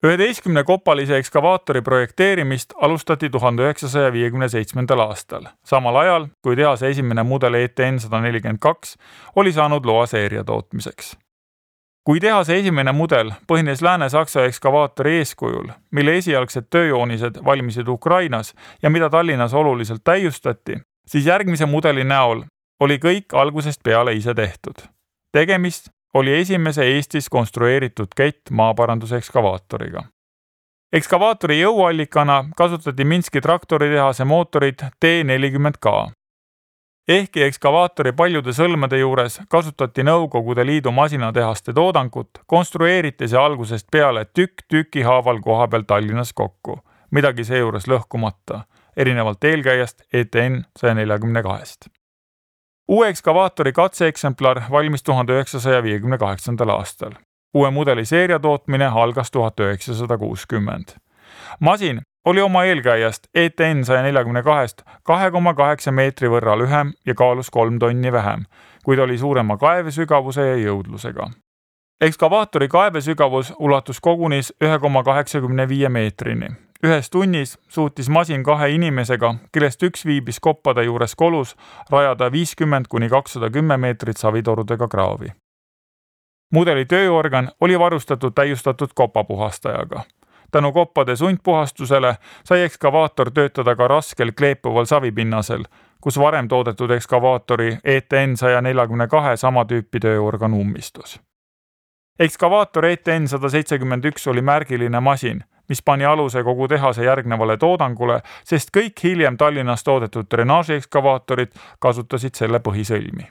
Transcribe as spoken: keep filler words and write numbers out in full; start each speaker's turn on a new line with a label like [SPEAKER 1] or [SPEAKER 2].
[SPEAKER 1] üheteistkümne kopalise ekskavaatori projekteerimist alustati tuhande üheksasaja viiekümne seitsmendal aastal, samal ajal kui tehase esimene mudel E T N sada nelikümmend kaks oli saanud loa seeria tootmiseks. Kui tehase esimene mudel põhines Lääne-Saksa ekskavaatori eeskujul, mille esialgsed tööjoonised valmisid Ukrainas ja mida Tallinnas oluliselt täiustati, siis järgmise mudeli näol oli kõik algusest peale ise tehtud. Tegemist oli esimese Eestis konstrueeritud kett maaparanduse ekskavaatoriga. Ekskavaatori jõuallikana kasutati Minski traktoritehase mootorit T nelikümmend K. Ehkki ekskavaatori paljude sõlmede juures kasutati Nõukogude Liidu masinatehaste toodangut, konstrueeriti see algusest peale tükk tüki haaval koha peal Tallinnas kokku, midagi seejuures lõhkumata, erinevalt eelkäijast E T N sada nelikümmend kaks. Uue ekskavaatori katseeksemplar valmis tuhande üheksasaja viiekümne kaheksandal aastal. Uue mudeli seeria tootmine algas tuhat üheksasada kuuskümmend. Masin oli oma eelkäijast E T N sada nelikümmend kaks kahe koma kaheksa meetri võrra lühem ja kaalus kolm tonni vähem, kuid oli suurema kaevesügavuse ja jõudlusega. Ekskavaatori kaevesügavus ulatus kogunis üks koma kaheksakümmend viis meetrini. Ühes tunnis suutis masin kahe inimesega, kellest üks viibis koppade juures kolus, rajada viiskümmend kuni kakssada kümme meetrit savitorudega kraavi. Mudeli tööorgan oli varustatud täiustatud kopapuhastajaga. Tänu koppade sundpuhastusele sai ekskavaator töötada ka raskel kleepuval savipinnasel, kus varem toodetud ekskavaatori E T N sada nelikümmend kaks sama tüüpi tööorgan ummistus. Ekskavaator E T N sada seitsekümmend üks oli märgiline masin, mis pani aluse kogu tehase järgnevale toodangule, sest kõik hiljem Tallinnas toodetud drenaaži ekskavaatorid kasutasid selle põhisõlmi.